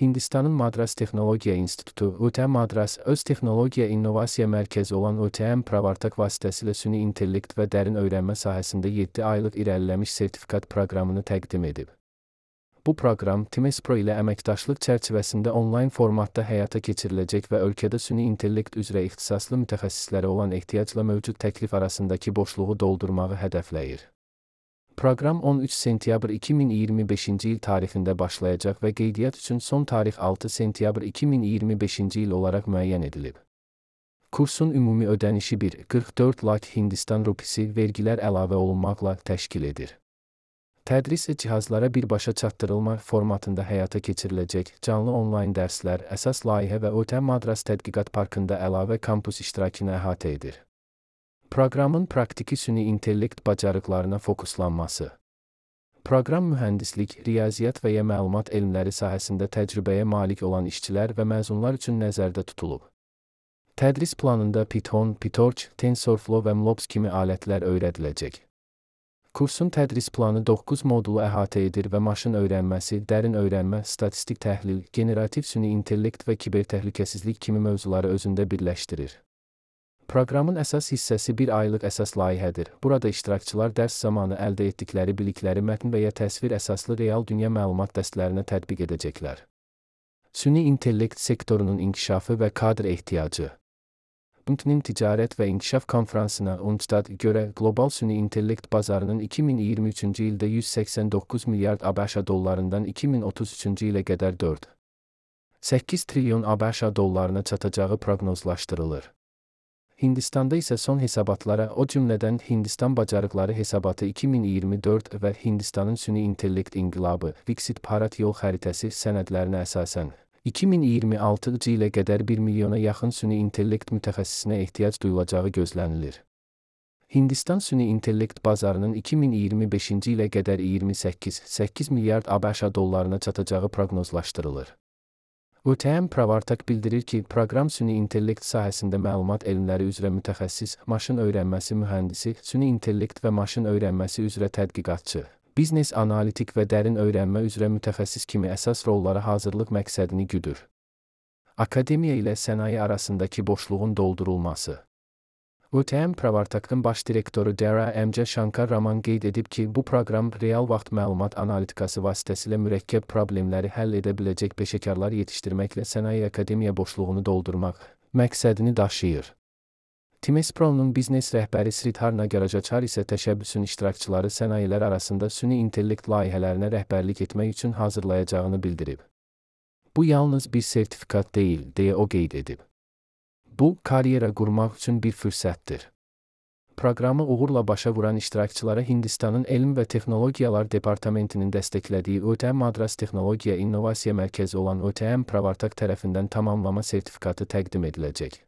Hindistanın Madras Texnologiya İnstitutu, ÖTM Madras, öz texnologiya innovasiya mərkəzi olan ÖTM Pravartak vasitəsilə süni intellekt və dərin öyrənmə sahəsində 7 aylıq irəliləmiş sertifikat proqramını təqdim edib. Bu proqram Timespro ilə əməkdaşlıq çərçivəsində onlayn formatda həyata keçiriləcək və ölkədə süni intellekt üzrə ixtisaslı mütəxəssislərə olan ehtiyacla mövcud təklif arasındakı boşluğu doldurmağı hədəfləyir. Proqram 13 sentyabr 2025-ci il tarixində başlayacaq və qeydiyyat üçün son tarix 6 sentyabr 2025-ci il olaraq müəyyən edilib. Kursun ümumi ödənişi 1,44 lakh Hindistan rupisi vergilər əlavə olunmaqla təşkil edir. Tədris cihazlara birbaşa çatdırılma formatında həyata keçiriləcək canlı onlayn dərslər, əsas layihə və ÖTM Madras Tədqiqat Parkında əlavə kampus iştirakını əhatə edir. Proqramın praktiki süni intellekt bacarıqlarına fokuslanması. Proqram mühəndislik, riyaziyyat və ya məlumat elmləri sahəsində təcrübəyə malik olan işçilər və məzunlar üçün nəzərdə tutulub. Tədris planında Python, PyTorch, TensorFlow və MLOps kimi alətlər öyrədiləcək. Kursun tədris planı 9 modulu əhatə edir və maşın öyrənməsi, dərin öyrənmə, statistik təhlil, generativ süni intellekt və kibertəhlükəsizlik kimi mövzuları özündə birləşdirir. Proqramın əsas hissəsi 1 aylıq əsas layihədir. Burada iştirakçılar dərs zamanı əldə etdikləri bilikləri mətn və ya təsvir əsaslı real dünya məlumat dəstlərinə tətbiq edəcəklər. Süni intellekt sektorunun inkişafı və kadr ehtiyacı. UNCTAD-nin Ticarət və İnkişaf Konfransına UNCTAD görə qlobal süni intellekt bazarının 2023-cü ildə 189 milyard ABŞ dollarından 2033-cü ilə qədər 4,8 trilyon ABŞ dollarına çatacağı proqnozlaşdırılır. Hindistanda isə son hesabatlara, o cümlədən Hindistan bacarıqları hesabatı 2024 və Hindistanın süni intellekt inqilabı, Viksit Bharat yol xəritəsi sənədlərinə əsasən 2026-cı ilə qədər 1 milyona yaxın süni intellekt mütəxəssisinə ehtiyac duyulacağı gözlənilir. Hindistan süni intellekt bazarının 2025-ci ilə qədər 28,8 milyard ABŞ dollarına çatacağı proqnozlaşdırılır. ÖTM Pravartak bildirir ki, proqram süni intellekt sahəsində məlumat elmləri üzrə mütəxəssis, maşın öyrənməsi mühəndisi, süni intellekt və maşın öyrənməsi üzrə tədqiqatçı, biznes analitik və dərin öyrənmə üzrə mütəxəssis kimi əsas rollara hazırlıq məqsədini güdür. Akademiya ilə sənaye arasındakı boşluğun doldurulması. ÖTM Pravartakın baş direktoru Dara M. Shankar Raman qeyd edib ki, bu proqram real vaxt məlumat analitikası vasitəsilə mürəkkəb problemləri həll edə biləcək peşəkarlar yetişdirməklə sənaye akademiya boşluğunu doldurmaq məqsədini daşıyır. Timespro'nun biznes rəhbəri Sridhar Nagarajachar isə təşəbbüsün iştirakçıları sənayilər arasında süni intellekt layihələrinə rəhbərlik etmək üçün hazırlayacağını bildirib. Bu yalnız bir sertifikat deyil, deyə o qeyd edib. Bu, karyera qurmaq üçün bir fürsətdir. Proqramı uğurla başa vuran iştirakçılara Hindistanın Elm və Texnologiyalar Departamentinin dəstəklədiyi ÖTM Madras Texnologiya İnnovasiya Mərkəzi olan ÖTM Pravartak tərəfindən tamamlama sertifikatı təqdim ediləcək.